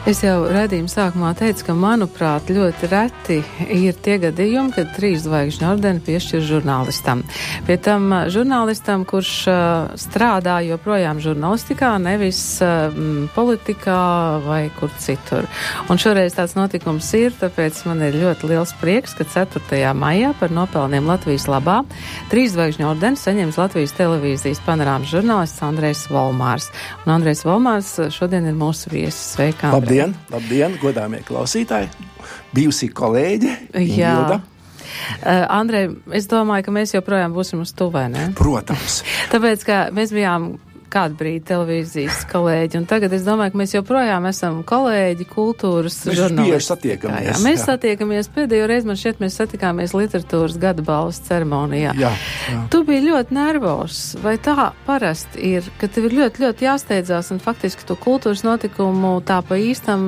Es jau raidījuma sākumā teicu, ka, manuprāt, ļoti reti ir tie gadījumi, kad 3 zvaigžņu ordeni piešķir žurnālistam. Pie tam žurnālistam, kurš strādā joprojām žurnālistikā, nevis politikā vai kur citur. Un šoreiz tāds notikums ir, tāpēc man ir ļoti liels prieks, ka 4. maijā par nopelniem Latvijas labā 3 zvaigžņu ordeni saņems Latvijas televīzijas panorāmas žurnālists Andrejs Volmārs. Un Andrejs Volmārs šodien ir mūsu viesis. Sveika, Andrej. Labdien, godāmie klausītāji, bijusī kolēģe Ingilda. Andrej, es domāju, ka mēs joprojām būsim uz tu, vai ne? Protams. Tāpēc, ka mēs bijām kādu brīdi televīzijas kolēģi, un tagad es domāju, ka mēs joprojām esam kolēģi, kultūras žurnālisti. Mēs bieži satiekamies. Mēs satiekamies, pēdējo reizi man šķiet, mēs satikāmies literatūras gada balvas ceremonijā. Jā. Tu biji ļoti nervos, vai tā parasti ir, ka tev ir ļoti, ļoti jāsteidzās, un faktiski tu kultūras notikumu tā pa īstam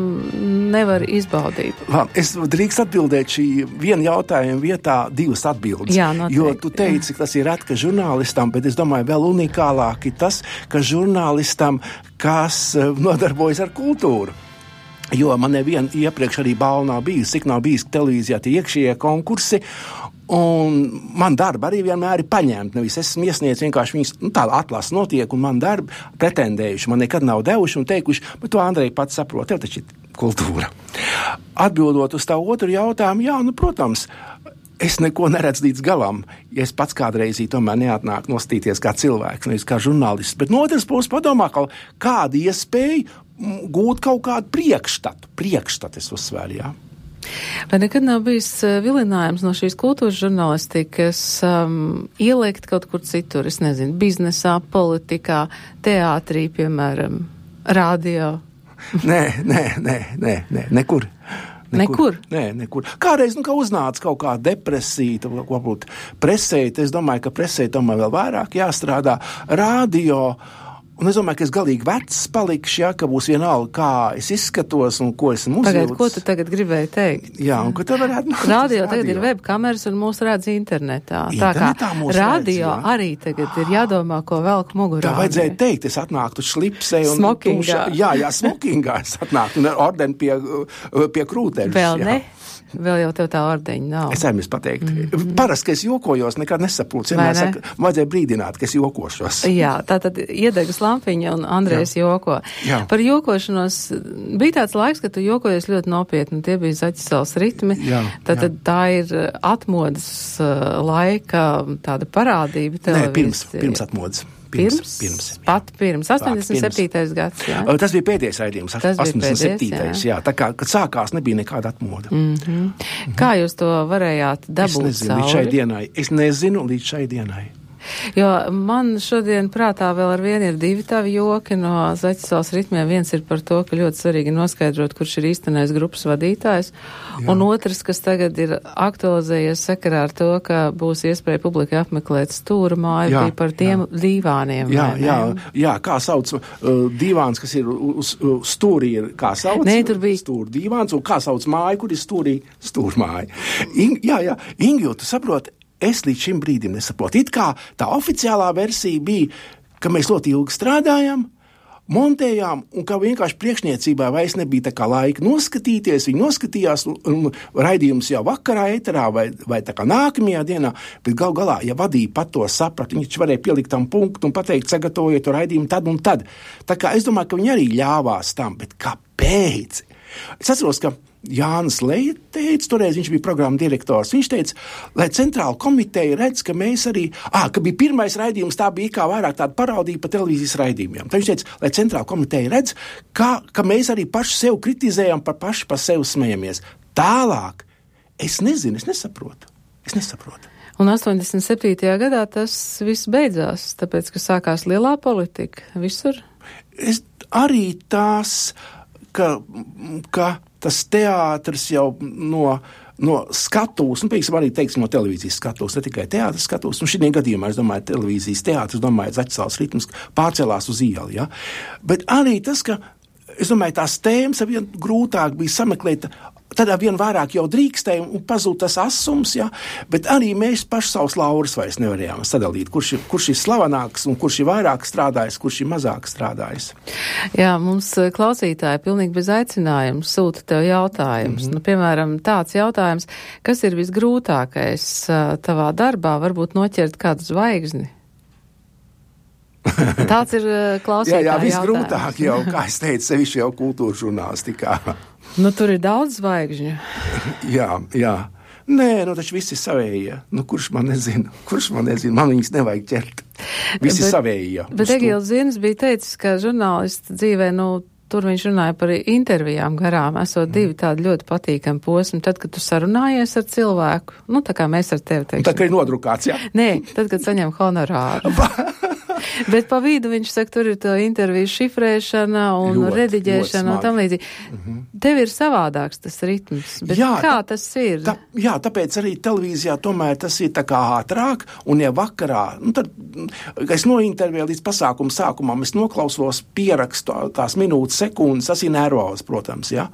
nevar izbaudīt? Labi, es drīkst atbildēt šī viena jautājuma vietā 2 atbildes. Jā, noteikti. Jo tu teici, ka tas ir reti, ka žurnālistam, bet es domāju, vēl unikālāk ir tas, ka žurnālistam, kas nodarbojas ar kultūru. Jo man neviena iepriekš arī balva nav bijusi, cik nav bijis televīzijā tie iekšējie konkursi, un man darba arī vienmēr ir paņemta. Nevis esmu iesniedz vienkārši viņas, tāda atlasa notiek, un man darba pretendējuši, man nekad nav devuši un teikuši, bet to Andrej pats saprot, tev taču ir kultūra. Atbildot uz tā otru jautājumu, jā, protams, es neko neredzu līdz galam, ja es pats kādreiz tomēr neatnāku nostīties kā cilvēks, nevis kā žurnālists. Bet no otras puses padomā, kāda iespēja gūt kaut kādu priekšstatu es uzsvēru, jā. Vai nekad nav bijis vilinājums no šīs kultūras žurnālistikas ielikt kaut kur citur, es nezinu, biznesā, politikā, teātrī, piemēram, radio? Nē, nekur. Nekur? Nē, nekur. Kādreiz, kā uznāca kaut kā depresija, varbūt presē, es domāju, ka presē tomēr vēl vairāk jāstrādā. Radio, un es domāju, ka es galīgi vecs palikšu, ka būs vienalga, kā es izskatos un ko esmu uzvilcis. Pagaid, ko tu tagad gribēji teikt? Jā, un ko te varētu... Radio tagad ir webkameras un mūs redz internetā. Tā kā radio redz, arī tagad ir jādomā, ko velk mugurā. Tā vajadzēja teikt, es atnāktu šlipsē un... Smokingā. Jā, smokingā es atnāktu un ar ordeni pie krūteļus. Vēl ne? Vēl jau tev tā ordeņa nav. Es aizmirsu pateikt. Parasti, ka es jokojos, nekad nesaprotu. Vienmēr saka, vajadzēja brīdināt, ka es jokošos. Jā, tātad iedegas lampiņa un Andrejs joko. Jā. Par jokošanos bija tāds laiks, kad tu jokojies ļoti nopietni, tie bija Zaķisels ritmi. Tātad tā ir atmodas laika tāda parādība televīzijas. Nē, pirms atmodas. Pirms. 87. gads, jā. Tas bija pēdējais raidījums, 87. Jā. Tā kā, kad sākās, nebija nekāda atmoda. Kā jūs to varējāt dabūt cauri? Es nezinu līdz šai dienai. Jo man šodien prātā vēl ar vienu ir 2 tavi joki no Zaķisels ritmiem. Viens ir par to, ka ļoti svarīgi noskaidrot, kurš ir īstenais grupas vadītājs. Jā. Un otrs, kas tagad ir aktualizējies sakarā ar to, ka būs iespēja publikai apmeklēt stūra māju, bija par tiem dīvāniem. Jā, kā sauc dīvāns, kas ir uz stūrī, ir kā sauc? Nē, tur bija stūra dīvāns, un kā sauc māju, kur ir stūrī stūrmāja. Ingilda, tu saproti, es līdz šim brīdim nesaprotu. It kā tā oficiālā versija bija, ka mēs ļoti ilgi strādājam, montējām, un ka vienkārši priekšniecībā vairs nebija tā kā laika noskatīties. Viņi noskatījās, un raidījums jau vakarā eterā vai tā kā nākamajā dienā, bet gal galā, ja vadīja pat to saprat, viņi varēja pielikt tam punktu un pateikt, sagatavojiet to raidījumu tad un tad. Tā kā es domāju, ka viņi arī ļāvās tam, bet kāpēc? Es atceros, ka Jānis Leja teica, toreiz viņš bija programma direktors, viņš teica, lai centrāla komiteja redz, ka mēs arī, ka bija pirmais raidījums, tā bija kā vairāk tāda paraudība pa televīzijas raidījumiem. Tad viņš teica, lai centrāla komiteja redz, ka mēs arī paši sev kritizējam, paši par sevi smejamies. Tālāk, es nezinu, es nesaprotu. Un 87. gadā tas viss beidzās, tāpēc, ka sākās lielā politika visur? Arī tās, ka tas teātris jau no skatūs, piemēram, arī teiksim no televīzijas skatūs, ne tikai teātris skatūs, un šī gadījumā, es domāju, televīzijas teātris, Zaķisels ritms pārcēlās uz ielu, ja? Bet arī tas, ka, es domāju, tās tēmas vien grūtāk bija sameklēt Tad vien vairāk jau drīkstēja un pazūd tas asums, ja? Bet arī mēs paši savus laurus vairs nevarējām sadalīt, kurš ir slavenāks un kurš ir vairāk strādājis, kurš ir mazāk strādājis. Jā, mums klausītāji pilnīgi bez aicinājuma sūta tev jautājums. Nu, piemēram, tāds jautājums, kas ir visgrūtākais tavā darbā, varbūt noķert kādu zvaigzni? Tāds ir klausītāja jā, visgrūtāk jau, kā es teicu, sevišķi jau kultūras žurnālistikā. Nu, tur ir daudz zvaigžņu. Jā. Nē, taču visi ir savējie. Kurš man nezina? Man viņas nevajag ķert. Visi savējie. Bet Egīls Zienis bija teicis, ka žurnālists dzīvē, tur viņš runāja par intervijām garām, esot divi tādi ļoti patīkami posmi. Tad, kad tu sarunājies ar cilvēku, tā kā mēs ar tevi teiksim. Tā kā ir nodrukāts, jā? Nē, tad, kad saņem honorāru. Bet pa vidu viņš saka, tur ir tā interviju šifrēšana un rediģēšana un tam līdzīgi. Tev ir savādāks tas ritms, bet kā tas ir? Tāpēc arī televīzijā tomēr tas ir tā kā ātrāk, un ja vakarā, tad, es nointervēju līdz pasākuma sākumam, es noklausos, pierakstu tās minūtes, sekundes, tas ir nervos, protams, jā.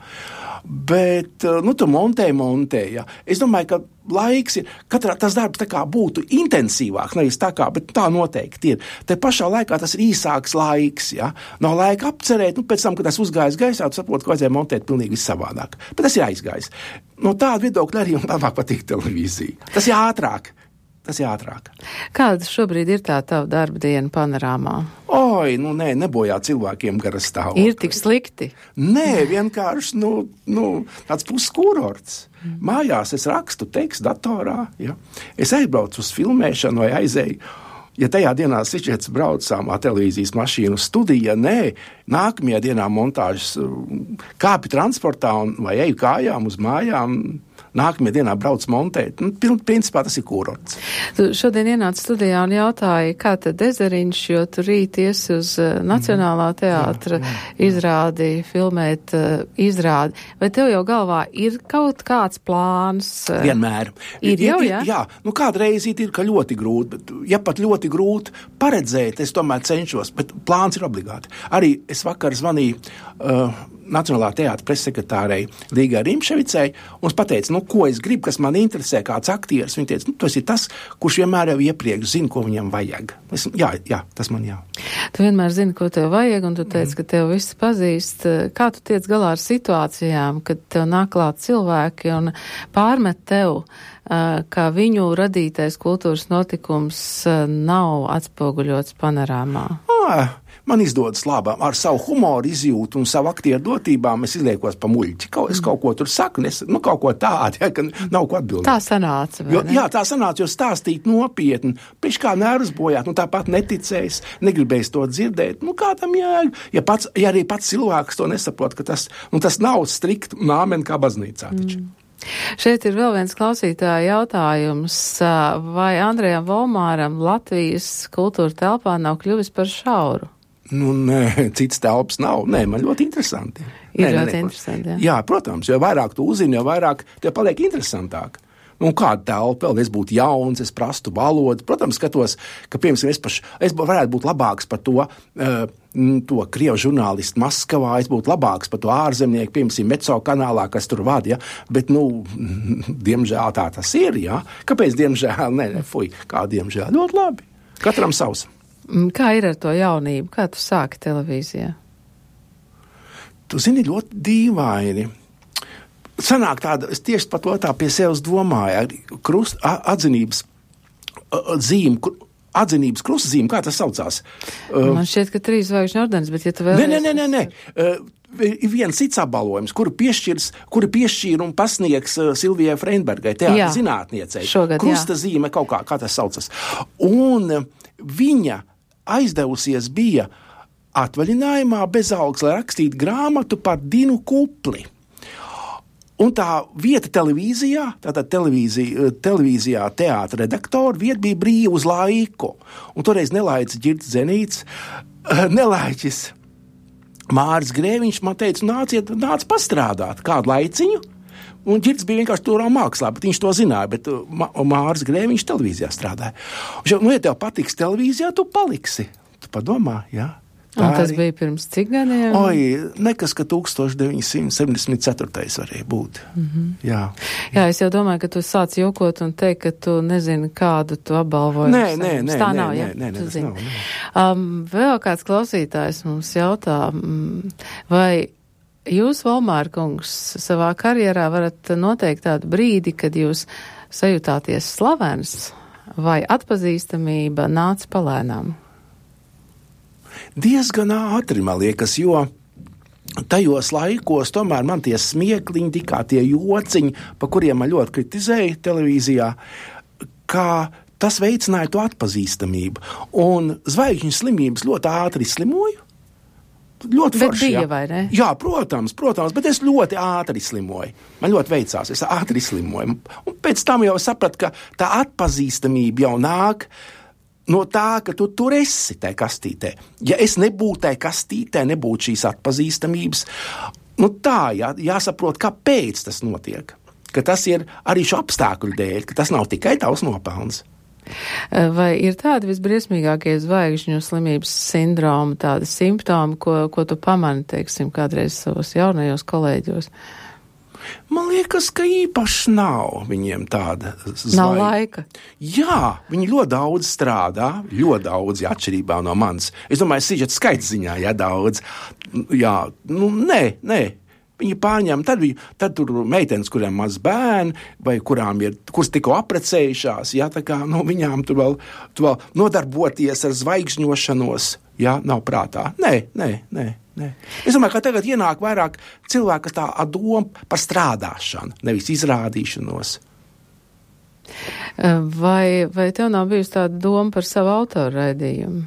Bet, tu montē, ja. Es domāju, ka laiks ir, tas darbs tā kā būtu intensīvāks, nevis tā kā, bet tā noteikti ir. Te pašā laikā tas ir īsāks laiks, ja. Nav laika apcerēt, pēc tam, kad tas uzgājis gaisā, tu saproti, ka vajadzēja montēt pilnīgi savādāk. Bet tas ir aizgājis. No tāda viedokļa arī labāk patīk televīzija. Tas ir ātrāk. Kāda šobrīd ir tā tava darba diena panorāmā? Nebojā cilvēkiem garas stāvokli. Ir tik slikti? Nē, vienkārši, tāds puskurorts. Mājās es rakstu tekstu datorā, ja. Es aizbraucu uz filmēšanu vai aizēju. Ja tajā dienā sičets braucām televīzijas mašīnu studija, nākamajā dienā montāžas kāpi transportā vai eju kājām uz mājām, nākamajā dienā brauc montēt. Principā tas ir kurorts. Tu šodien ienāc studijā un jautāji, kā tad Ezeriņš, jo tu rīt iesi uz Nacionālā teātra izrādi, filmēt izrādi. Vai tev jau galvā ir kaut kāds plāns? Vienmēr. Ir jau, jā? Jā, kādreiz ir, ka ļoti grūti, bet ja pat ļoti grūti paredzēt, es tomēr cenšos, bet plāns ir obligāti. Arī es vakar zvanīju Nacionālā teātra pressekretārei Līgai Rimševicei un pateica, ko es gribu, kas man interesē, kāds aktieris. Viņa teica, tas ir tas, kurš vienmēr jau iepriekš zina, ko viņam vajag. Jā, tas man jā. Tu vienmēr zini, ko tev vajag, un tu teici, ka tev visi pazīst. Kā tu tiec galā ar situācijām, kad tev nāk klāt cilvēki un pārmet tev, ka viņu radītais kultūras notikums nav atspoguļots panorāmā? Man izdodas labā. Ar savu humoru izjūtu un savu aktieru dotībām es izliekos pa muļķi. Es kaut ko tur saku, kaut ko tādu, ja, ka nav ko atbildēt. Tā sanāca, vai ne? Jā, tā sanāca, jo stāstīt nopietni. Pēc kā nervus bojāt, tāpat neticējis, negribējis to dzirdēt. Kā tam jēga? Ja arī pats cilvēks to nesaprot, ka tas nav strikt un āmen kā baznīcā taču. Šeit ir vēl viens klausītāja jautājums. Vai Andrejam Volmāram Latvijas kultūra telpā nav kļuvis par šauru? Nē, cits telpas nav. Nē, man ļoti interesanti. Ļoti interesanti, jā. Jā, protams, jo vairāk tu uzzini, jo vairāk tev paliek interesantāk. Kāda telpa, vēl es būtu jauns, es prastu valodu. Protams, skatos, ka, piemēram, es varētu būt labāks par to krievu žurnālistu Maskavā, es būtu labāks par to ārzemnieku, piemēram, Meco kanālā, kas tur vada, ja? Bet, diemžēl tā tas ir, jā. Kāpēc diemžēl? Kā diemžēl? Ļoti labi. Katram savs. Kā ir ar to jaunību? Kā tu sāki televīzijā? Tu zini, ļoti dīvaini. Sanāk tāda, es tieši par to tā pie sevis domāju, atzinības zīme, atzinības krustzīme, kā tas saucās? Man šķiet, ka 3 zvaigžņu ordenis, bet ja tu vēl... Nē. Ir viens cits apbalvojums, kuru piešķīra un pasniegs Silvijai Freinbergai, teātra zinātniecei. Šogad, krusta zīme kaut kā tas saucas. Un viņa aizdevusies bija atvaļinājumā bez algas, lai rakstītu grāmatu par Dinu Kupli. Un tā vieta televīzijā, tātad televīzijā teātra redaktora vieta bija brīva uz laiku. Un toreiz nelaicis Ģirds Zenīts, nelaiķis Māris Grēviņš man teica, nāc pastrādāt kādu laiciņu. Un Ģirds bija vienkārši turā mākslā, bet viņš to zināja, bet Māris Grēviņš televīzijā strādāja. Un, ja tev patiks televīzijā, tu paliksi. Tu padomā, jā. Un tas bija pirms cik gadiem? Nekas, ka 1974. varēja būt. Jā, es jau domāju, ka tu sāc jokot un teikt, ka tu nezini, kādu tu apbalvojumu. Nē, tā nav, ja? tas nav. Vēl kāds klausītājs mums jautā, vai jūs, Volmāra kungs, savā karjerā varat noteikt tādu brīdi, kad jūs sajutāties slavens vai atpazīstamība nāca palēnām? Diezgan ātri, man liekas, jo tajos laikos tomēr man tie smiekliņi, tikā tie jociņi, pa kuriem man ļoti kritizēja televīzijā, kā tas veicināja to atpazīstamību. Un zvaigžņu slimības ļoti ātri slimoju. Ļoti forši, bija, vai ne? Jā, protams, bet es ļoti ātri slimoju. Man ļoti veicās, es ātri slimoju. Un pēc tam jau sapratu, ka tā atpazīstamība jau nāk no tā, ka tu tur esi tajā kastītē. Ja es nebūtu tajā kastītē, nebūtu šīs atpazīstamības, jāsaprot, kāpēc tas notiek. Ka tas ir arī šo apstākļu dēļ, ka tas nav tikai tavs nopelns. Vai ir tādi visbriesmīgākie zvaigžņu slimības sindroma, tādi simptomi, ko tu pamani, teiksim, kādreiz savos jaunajos kolēģos? Man liekas, ka īpaši nav viņiem tāda zvaigžņa. Nav laika. Jā, viņi ļoti daudz strādā, ļoti daudz, atšķirībā no manis. Es domāju, sižet skaits ziņā, daudz. Jā, nē. Viņi pārņem, tad tur meitenes, kuriem maz bērni, vai kuras tikko aprecējušās, tā kā, viņām tur vēl nodarboties ar zvaigžņošanos, nav prātā. Nē. Es domāju, ka tagad ienāk vairāk cilvēku, kas tā doma par strādāšanu, nevis izrādīšanos. Vai tev nav bijusi tāda doma par savu autoru raidījumu?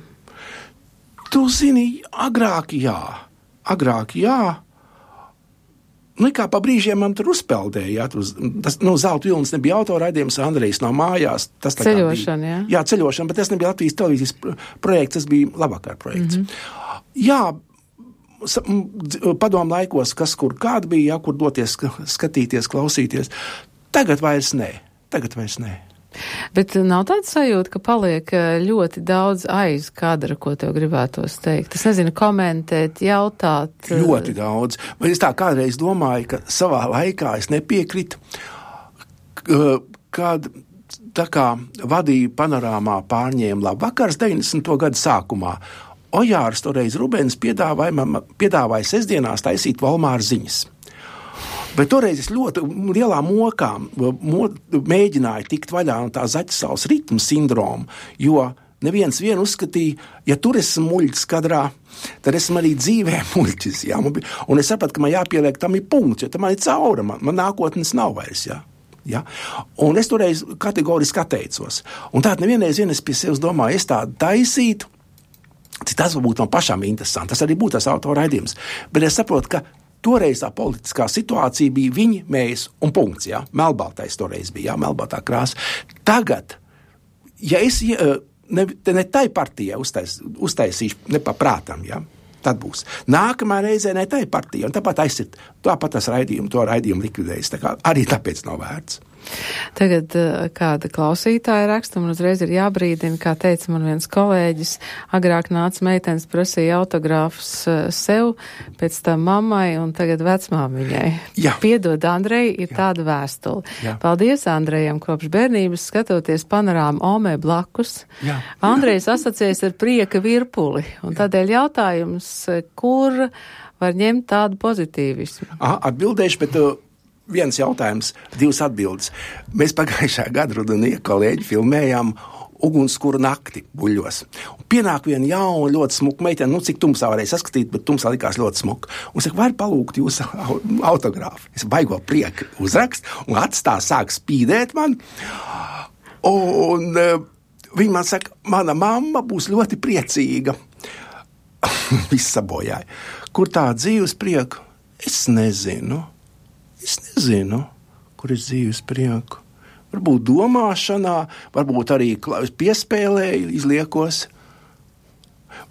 Tu zini, agrāk jā. Kā pa brīžiem man tur uzpeldēja, Zelta vilnis nebija autoraidījums, Andrejs no mājās. Tas ceļošana, jā? Jā, ceļošana, bet tas nebija Latvijas televīzijas projekts, tas bija Labvakar projekts. Jā, padomu laikos, kas kur kāda bija, kur doties, skatīties, klausīties. Tagad vairs nē. Bet nav tāda sajūta, ka paliek ļoti daudz aiz kadra, ko tev gribētos teikt? Es nezinu, komentēt, jautāt. Ļoti daudz. Es tā kādreiz domāju, ka savā laikā es nepiekritu, kad tā kā vadīja Panorāmā pārņēma Labvakars 90. gadu sākumā. Ojārs toreiz Rubens piedāvāja sestdienās taisīt Volmāra ziņas. Bet toreiz es ļoti lielā mokā mēģināju tikt vaļā no tā zaķisaules ritmu sindroma, jo neviens uzskatīja, ja tur esmu muļķis kadrā, tad esmu arī dzīvē muļķis. Jā? Un es sapratu, ka man jāpieliek tam ir punkts, jo tam man ir caura, man nākotnes nav vairs. Jā? Ja? Un es toreiz kategoriski atteicos. Un tātad nevienreiz es pie sevis domāju, es tādu taisītu, tas varbūt man pašām interesanti, tas arī būtu tas autoraidījums. Bet es saprotu, ka toreiz tā politiskā situācija bija viņi, mēs un punkts, jā. Melbaltais toreiz bija, jā, melbaltā krāsa. Tagad, ja es ne tai partijai uztaisīšu nepaprātam, jā, tad būs. Nākamā reizē ne tai partijai, un tāpat tas to raidījumu likvidējas, tā kā arī tāpēc nav vērts. Tagad kāda klausītāja raksta, man uzreiz ir jābrīdina, kā teica man viens kolēģis, agrāk nāca meitenes, prasīja autogrāfus sev, pēc tam mammai un tagad vecmāmiņai. Jā. Piedod, Andrej, ir tāda vēstule. Jā. Paldies Andrejam, kopš bērnības skatoties Panorāmu Omē blakus. Jā. Andrejs asociējas ar prieka virpuli, un tādēļ jautājums, kur var ņemt tādu pozitīvismu? Atbildēšu, bet viens jautājums, divas atbildes. Mēs pagājušā gada rudenī kolēģi filmējām Ugunskura nakti buļļos. Un pienāk viena jauna, ļoti smuka meitene, cik tumsā varēja saskatīt, bet tumsā likās ļoti smuka. Un saka, var palūgt jūsu autogrāfu. Es baigo prieku uzrakst, un sāk spīdēt man. Un viņa man saka, mana mamma būs ļoti priecīga. Viss sabojāja. Kur tā dzīves prieku? Es nezinu, kur ir dzīves prieku. Varbūt domāšanā, varbūt arī piespēlēju, izliekos.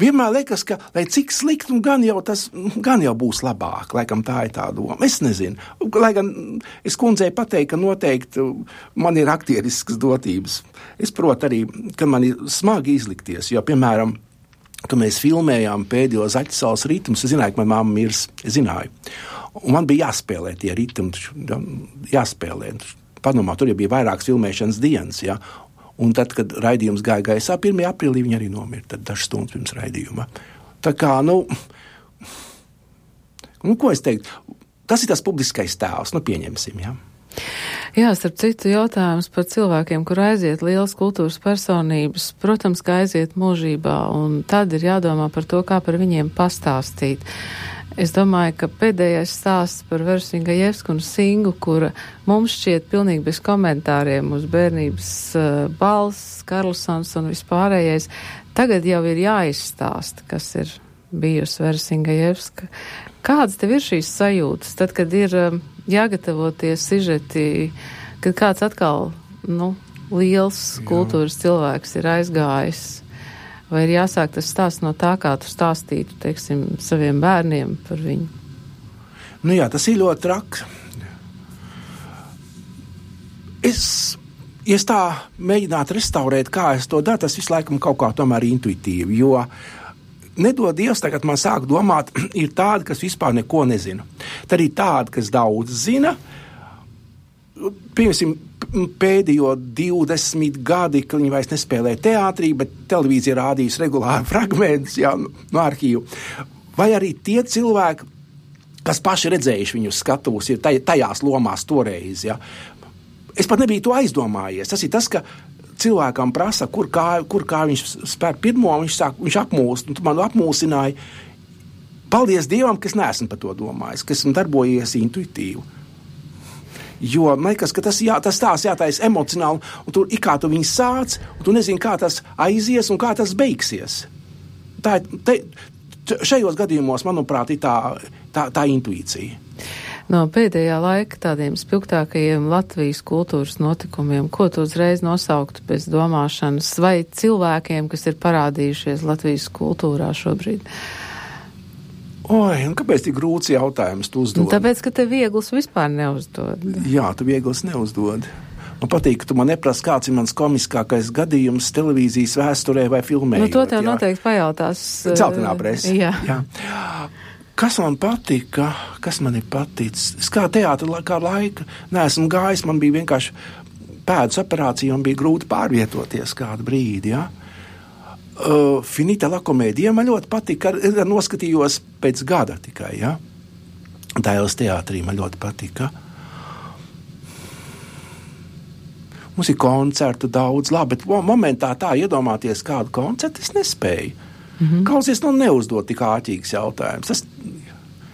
Vienmēr liekas, ka, lai cik slikti, gan jau būs labāk, laikam tā ir tā doma. Es nezinu. Lai gan es kundzei pateiktu, ka noteikti man ir aktieriskas dotības. Es protu arī, ka man ir smagi izlikties, jo, piemēram, ka mēs filmējām pēdējo Zaķisals ritmus. Es zināju, ka man mamma mirs, es zināju. Un man bija jāspēlē tie ritmi, jāspēlē. Padomā, tur jau bija vairākas filmēšanas dienas, ja? Un tad, kad raidījums gāja gaisā, 1. aprīlī viņi arī nomira, tad dažas stundas pirms raidījuma. Tā kā, ko es teiktu, tas ir tas publiskais tēls, pieņemsim, ja? Jā, starp citu jautājums par cilvēkiem, kur aiziet lielas kultūras personības, protams, ka aiziet mūžībā, un tad ir jādomā par to, kā par viņiem pastāstīt. Es domāju, ka pēdējais stāsts par Veru Singajevsku un Singu, kura mums šķiet pilnīgi bez komentāriem uz bērnības balss, Karlsons un vispārējais, tagad jau ir jāizstāsta, kas ir bijusi Vera Singajevska. Kādas tev ir šīs sajūtas, tad, kad ir jāgatavoties sižeti, kad kāds atkal, liels kultūras cilvēks ir aizgājis? Vai ir jāsāk tas stāsts no tā, kā tu stāstītu, teiksim, saviem bērniem par viņu? Jā, tas ir ļoti traks. Ja es tā mēģinātu restaurēt, kā es to daru, tas visu laikam kaut kā tomēr intuitīvi, jo nedod Dievs, tagad man sāk domāt, ir tādi, kas vispār neko nezina. Tad ir tādi, kas daudz zina. Piemēram, pēdējo 20 gadi, kad viņi vairs nespēlē teātrī, bet televīzija rādījis regulāri fragmentus no arhīvu. Vai arī tie cilvēki, kas paši redzējuši viņus skatuves, ir tajās lomās toreiz. Ja? Es pat nebiju to aizdomājies. Tas ir tas, ka cilvēkam prasa, kur kā viņš spēr pirmo, viņš apmūst, un tu man apmūsināji. Paldies Dievam, ka es neesmu par to domājis, ka esmu darbojies intuitīvi. Jo, man liekas, ka tas stāsts jātaisa emocionāli, un tur kā tu viņu sāc, un tu nezini, kā tas aizies un kā tas beigsies. Šajos gadījumos, manuprāt, ir tā intuīcija. No pēdējā laika tādiem spilgtākajiem Latvijas kultūras notikumiem, ko tu uzreiz nosauktu bez domāšanas, vai cilvēkiem, kas ir parādījušies Latvijas kultūrā šobrīd? Un kāpēc tik grūts jautājums tu uzdod? Tāpēc, ka te viegls vispār neuzdod. Jā, tu viegls neuzdod. Man patīk, ka tu man neprasi, kāds ir mans komiskākais gadījums televīzijas vēsturē vai filmējot. To tev noteikti pajautās. Celtenā presa. Jā. Kas man patika? Kas man ir paticis? Es kā teātra kā laika neesmu gājis, man bija vienkārši pēdas operācija un bija grūti pārvietoties kādu brīdi, ja? Finita la komēdija man ļoti patika, noskatījos pēc gada tikai, ja? Dailes teātrī man ļoti patika. Mums ir koncertu daudz, labi, bet momentā tā iedomāties kādu koncertu es nespēju. Klausies, neuzdot tik āķīgs jautājums.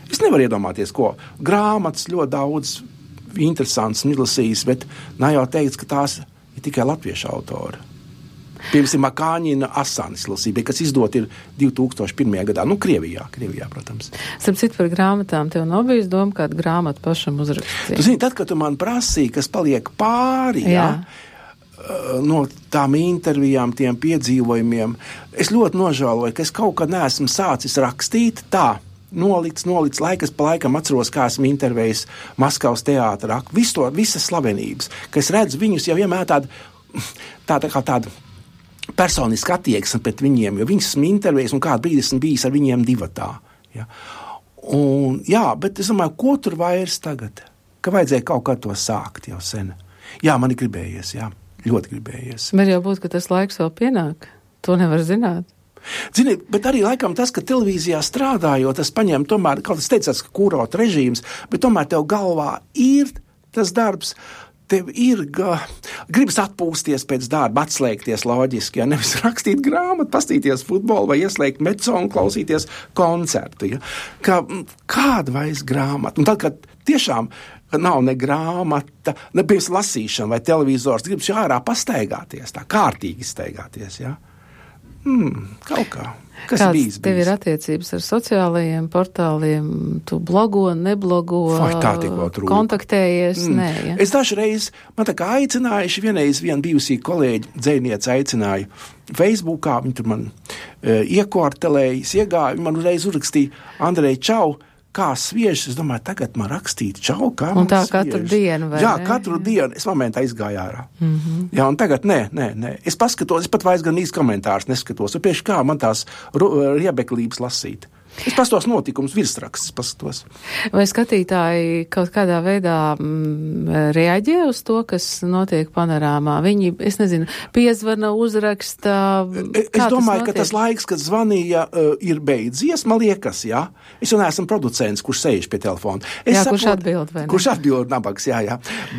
Es nevaru iedomāties, ko. Grāmatas ļoti daudz interesants izlasījis, bet nav jau teikts, ka tās ir tikai latviešu autori. Piemēram, Makāņina Asanis lasība, kas izdot ir 2001. gadā. Krievijā, protams. Starp citu par grāmatām, tev nav bijis doma kādu grāmatu pašam uzrakstīt? Tu zini, tad, kad tu man prasīji, kas paliek pāri, no tām intervijām, tiem piedzīvojumiem, es ļoti nožēloju, ka es kaut kad neesmu sācis rakstīt tā. Nolicis, laikas pa laikam atceros, kā esmu intervējis Maskavas teātrā, visas slavenības, ka es redzu viņus jau vienmēr tāda personiska attieksme pret viņiem, jo viņus esmu intervējis un kādu brīdi esmu bijis ar viņiem divatā. Ja? Bet es domāju, ko tur vairs tagad? Ka vajadzēja kaut kā to sākt jau sen. Jā, man ir gribējies, ļoti gribējies. Var jau būt, ka tas laiks vēl pienāk. To nevar zināt. Zini, bet arī laikam tas, ka televīzijā strādājot, tas paņem tomēr, kaut kas teicās, ka kurort režīms, bet tomēr tev galvā ir tas darbs, tev ir gribas atpūsties pēc darba, atslēgties loģiski, nevis rakstīt grāmatu, pastīties futbolu vai ieslēgt meco un klausīties koncertu. Ja? Kāda vairs grāmata? Un tad, kad tiešām nav ne grāmata, ne pirms lasīšana vai televizors, gribas ārā pastaigāties, tā kārtīgi staigāties, ja? Kaut kā. Kas Kāds bijis? Tev ir attiecības ar sociālajiem portāliem? Tu blogo, neblogo, kontaktējies? Nē, ja? Es dažreiz, man tā kā aicinājuši, viena bijusī kolēģi, dzejniece aicināja Facebookā, viņi tur man iekortelējas, iegāja, man uzreiz uzrakstīja, Andrej, čau, kā sviež, es domāju, tagad man rakstīt čau, kā un man tā sviež. katru dienu, vai jā, ne? katru dienu. Es momentā izgāju ārā. Jā, un tagad nē. Es paskatos, es pat vairs gan īsti komentārus neskatos. Un pieši kā man tās riebeklības lasīt. Es pastos notikums virsrakstus, paskatos. Vai skatītāji kaut kādā veidā reaģē uz to, kas notiek panorāmā? Viņi, es nezinu, piezvana, uzraksta. Es domāju, ka tas laiks, kad zvanīja, ir beidzies, man liekas, jā. Es jau neesmu producents, kurš sēž pie telefona. Kurš atbild, vai ne? Kurš atbild, nabags, jā.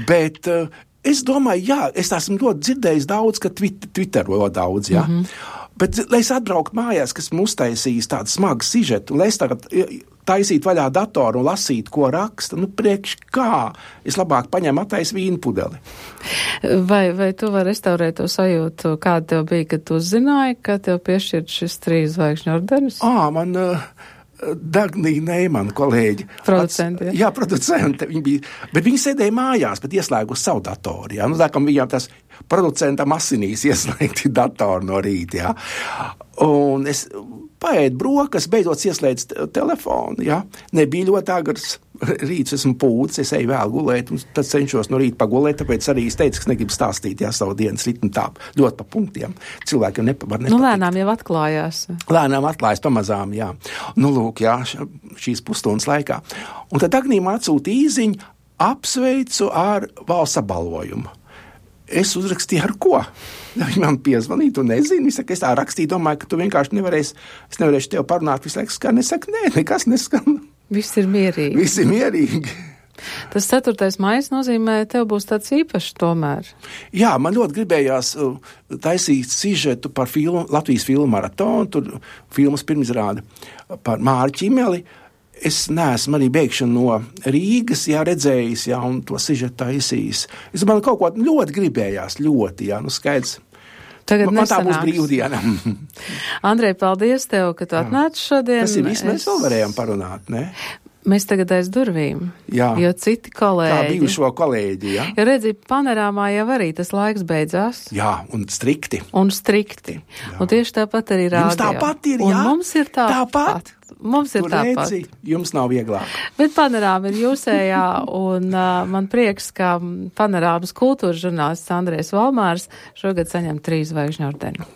Bet es domāju, jā, es esmu ļoti dzirdējis daudz, ka Twitterojo daudz, jā. Bet, lai es atbrauktu mājās, kas man uztaisīs tādu smagu sižetu, un lai es tagad taisītu vaļā datoru un lasītu, ko raksta, priekš kā, es labāk paņemu atais vīnu pudeli. Vai tu vari restaurēt to sajūtu, kāda tev bija, kad tu uzzināji, ka tev piešķirt šis 3 zvaigžņu ordenis? Man Dagnija Neimana kolēģi. Producenti. Jā, producenti. Viņi bija, bet viņi sēdēja mājās, bet ieslēgus savu datoru. Jā. Tā kā viņām tas producentam asinīs ieslēgti datoru no rīta. Jā. Un es paēdu brokas, beidzot ieslēdzu telefonu. Jā. Nebija ļoti agrs. Rīts esmu pūcis, es eju vēl gulēt, un tad cenšos no rīta pagulēt, tāpēc arī es teicu, ka es negribu stāstīt, savu dienas ritmu tā, ļoti pa punktiem. Cilvēkiem var nepatikt. Lēnām jau atklājās. Lēnām atklājas pamazām, jā. Lūk, jā, šīs pusstundas laikā. Un tad Agnija man atsūta īziņu, apsveicu ar valsts apbalvojumu. Es uzrakstīju ar ko? Viņi man piezvanīja, tu nezini. Es tā rakstīju, domāju, ka tu vienkārši nevarēsi tev parunāt, visu laiku skan. Es saku, nē, nekas neskan. Viss ir mierīgi. Visi mierīgi. Tas 4. maijs nozīmē, tev būs tāds īpašs tomēr. Jā, man ļoti gribējās taisīt sižetu par Latvijas filmu maratonu, tur filmas pirmizrāde par Māri Čimeli. Es neesmu arī bēgšanu no Rīgas, redzējis, un to sižetu taisījis. Es man kaut ko ļoti gribējās, skaidrs. Tagad man tā būs brīvdiena. Andrej, paldies tev, ka tu atnāci šodien. Tas ir viss, mēs vēl varējām parunāt, ne? Mēs tagad aiz durvīm, jo citi kolēģi. Kā bijušo kolēģi, jā. Jo redzi, panorāmā jau arī tas laiks beidzās. Jā, un strikti. Jā. Un tieši tāpat arī rādio. Jums tāpat ir, jā? Un mums ir tāpat. Mums ir tāpat. Jums nav vieglāk. Bet panorāma ir jūsējā, un man prieks, ka panorāmas kultūras žurnālists Andrejs Valmārs šogad saņem 3 zvaigžņu ordeni.